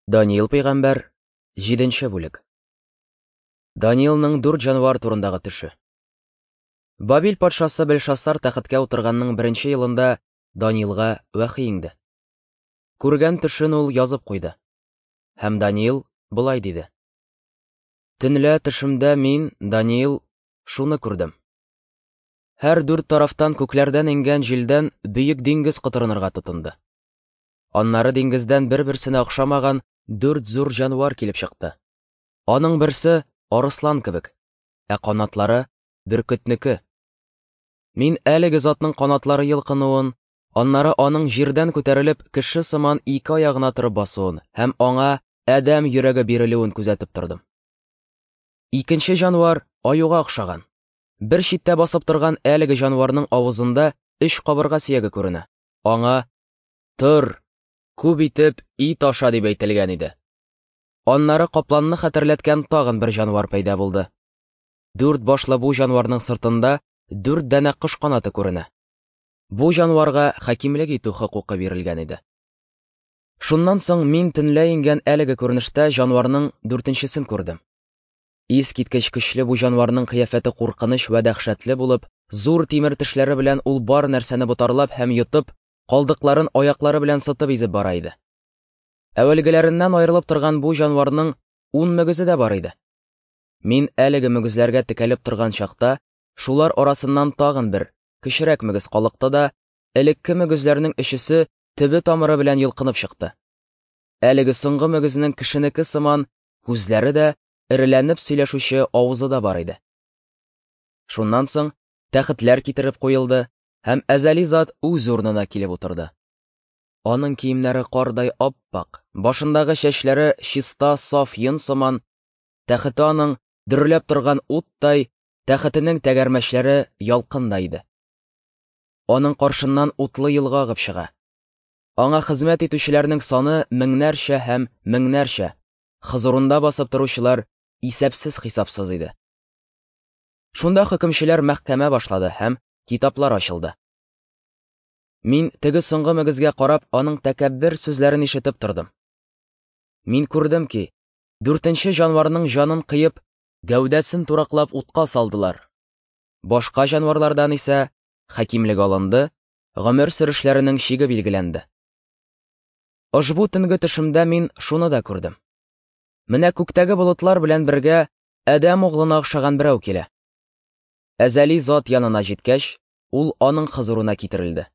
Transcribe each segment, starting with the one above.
Даниил пәйгамбәр, 7 бүлек. Даниилның дүрт җанвар турындагы төше. Бабил патшасы Белшассар тәхеткә утырганның беренче елында Даниилга вәхи иңде. Күргән төшен ул язып куйды. Һәм Даниил болай диде: Төнлә төшемдә мин, Даниил, шуны күрдем. Һәр дүрт тарафтан күкләрдән иңгән җилдән бөек диңгез котырынырга тотынды. Аннары диңгездән бер-берсенә охшамаган дүрт зур җанвар килеп чыкты. Аның берсе арыслан кебек, ә канатлары бөркетнеке. Мин әлеге затның канатлары йолкынуын, аннары аның җирдән күтәрелеп кеше сыман ике аягына торып басуын һәм аңа адәм йөрәге бирелүен күзәтеп тордым. Икенче җанвар аюга охшаган. Бер читтә басып торган әлеге җанварның авызында өч кабырга сөяге күренә. Аңа «Тор, күп итеп ит аша» дип әйтелгән иде. Аннары капланны хәтерләткән тагын бер җанвар пәйда булды. Дүрт башлы бу җанварның сыртында дүрт данә кош канаты күренә. Бу җанварга хакимлек итү хокукы бирелгән иде. Шуннан соң мин төнлә иңгән әлеге күренештә җанварның дүртенчесен күрдем. Искиткеч көчле бу җанварның кыяфәте куркыныч вә дәһшәтле булып, зур тимер тешләре белән ул бар нәрсәне ботарлап һәм йотып, калдыкларын аяклары белән сытып изеп бара иде. Әүвәлгеләреннән аерылып торган бу җанварның 10 мөгезе дә бар иде. Мин әлеге мөгезләргә текәлеп торган чакта, шулар арасыннан тагын бер, кечерәк мөгез калыкты да, элекке мөгезләрнең өчесе төбе тамыры белән йолкынып чыкты. Әлеге соңгы мөгезнең кешенеке сыман күзләре дә, эреләнеп сөйләшүче авызы да бар иде. Шуннан соң тәхетләр китереп куелды, һәм әзәли зат үз урынына килеп утырды. Аның киемнәре кардай ап-ак, башындагы чәчләре чиста саф йон сыман, тәхете аның дөрләп торган уттай, тәхетенең тәгәрмәчләре ялкындай иде. Аның каршыннан утлы елга агып чыга. Аңа хезмәт итүчеләрнең саны меңнәрчә һәм меңнәрчә, хозурында басып торучылар исәпсез-хисапсыз иде. Шунда хөкемчеләр мәхкәмә башлады һәм китаплар ачылды. Мин теге соңгы мөгезгә карап, аның тәкәббер сүзләрен ишетеп тордым. Мин күрдем ки, дүртенче җанварның җанын кыеп, гәүдәсен тураклап утка салдылар. Башка җанварлардан исә хакимлек алынды, гомер сөрешләренең чиге билгеләнде. Ошбу төнге төшемдә мин шуны да күрдем. Менә күктәге болытлар белән бергә адәм углына охшаган берәү килә. Әзәли зат янына җиткәч, ул аның хозурына китерелде.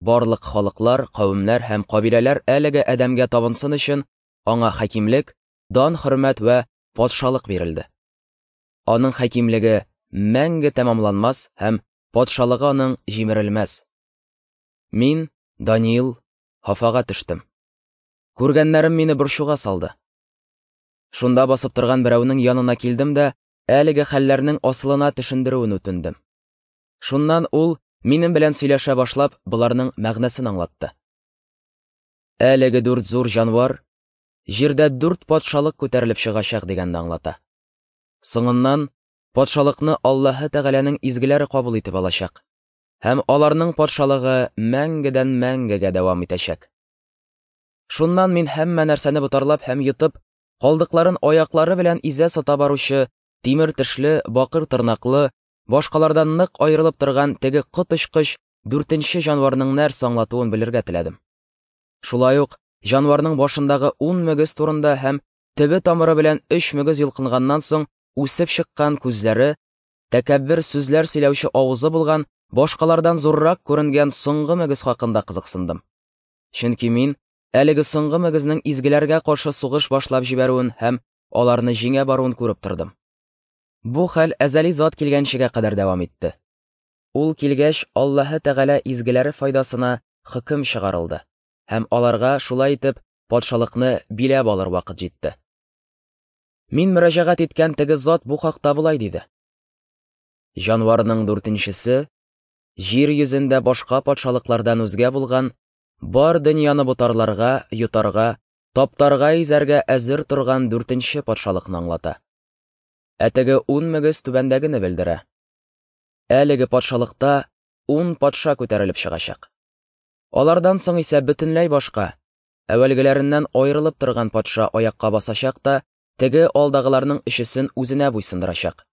Барлык халыклар, кавемнәр һәм кабиләләр әлеге адәмгә табынсын өчен аңа хакимлек, дан, хөрмәт вә патшалык бирелде. Аның хакимлеге мәңге тәмамланмас һәм патшалыгы аның җимерелмәс. Мин, Даниил, хафага төштем. Күргәннәрем мине борчуга салды. Шунда басып торган берәүнең янына килдем дә, әлеге хәлләрнең асылына төшендерүен үтендем. Шуннан ул минем белән сөйләшә башлап, боларның мәгънәсен аңлатты. Әлеге дүрт зур җанвар җирдә дүрт патшалык күтәрелеп чыгачак дигәнне аңлата. Соңыннан патшалыкны Аллаһы Тәгаләнең изгеләре кабул итеп алачак һәм аларның патшалыгы мәңгедән мәңгегә дәвам итәчәк. Шуннан мин һәммә нәрсәне ботарлап һәм йотып, калдыкларын аяклары белән изә сата баручы, тимер тешле, бакыр тырнаклы, башкалардан нык аерылып торган теге коточкыч дүртенче җанварның нәрсә аңлатуын белергә теләдем. Шулай ук җанварның башындагы 10 мөгез турында һәм төбе тамыры белән 3 мөгез йолкынганнан соң үсеп чыккан күзләре, тәкәббер сүзләр сөйләүче авызы булган, башкалардан зуррак күренгән соңгы мөгез хакында кызыксындым. Чөнки мин әлеге соңгы мөгезнең изгеләргә каршы сугыш башлап җибәрүен һәм аларны җиңә баруын күреп тордым. Бу хәл әзәли зат килгәнчегә кадәр дәвам итте. Ул килгәч, Аллаһы Тәгалә изгеләре файдасына хөкем чыгарылды һәм аларга шулай итеп патшалыкны биләп алыр вакыт җитте. Мин мөрәҗәгать иткән теге зат бу хакта болай диде: Җанварның дүртенчесе җир йөзендә башка патшалыклардан үзгә булган бар дөньяны ботарларга, йотарга, таптарга, изәргә әзер торган дүртенче патшалыкны аңлата. Ә теге 10 мөгез түбәндәгене белдерә. Әлеге патшалыкта 10 патша күтәрелеп чыгачак. Алардан соң исә бөтенләй башка, Әүвәлгеләреннән аерылып торган патша аякка басачак та теге алдагыларның өчесен үзенә буйсындырачак.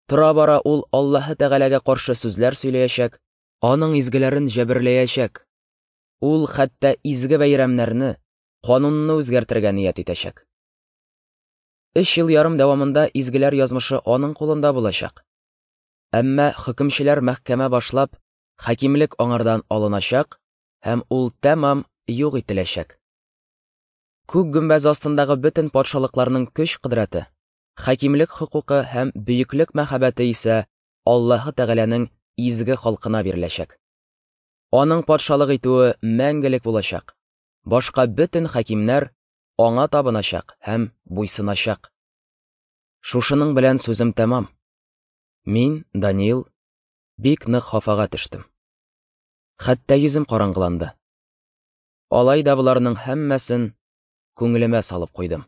Тора-бара ул Аллаһы Тәгаләгә каршы сүзләр сөйләячәк, аның изгеләрен җәберләячәк. Ул хәтта изге бәйрәмнәрне, канунны үзгәртергә ният итәчәк. Өч ел ярым дәвамында изгеләр язмышы аның кулында булачак. Әмма хөкемчеләр мәхкәмә башлап, хакимлек аңардан алыначак һәм ул тәмам юк ителәчәк. Күк гөмбәз астындагы бөтен патшалыкларның көч-кодрәте, хакимлек хокукы һәм бөеклек мәхәббәте исә Аллаһы Тәгаләнең изге халкына биреләчәк. Аның патшалык итүе мәңгелек булачак. Башка бөтен хакимнәр аңа табыначак һәм буйсыначак. Шушының белән сүзем тәмам. Мин, Даниил, бик нык хафага төштем. Хәтта йөзем караңгыланды. Алай да боларның һәммәсен күңелемә салып куйдым.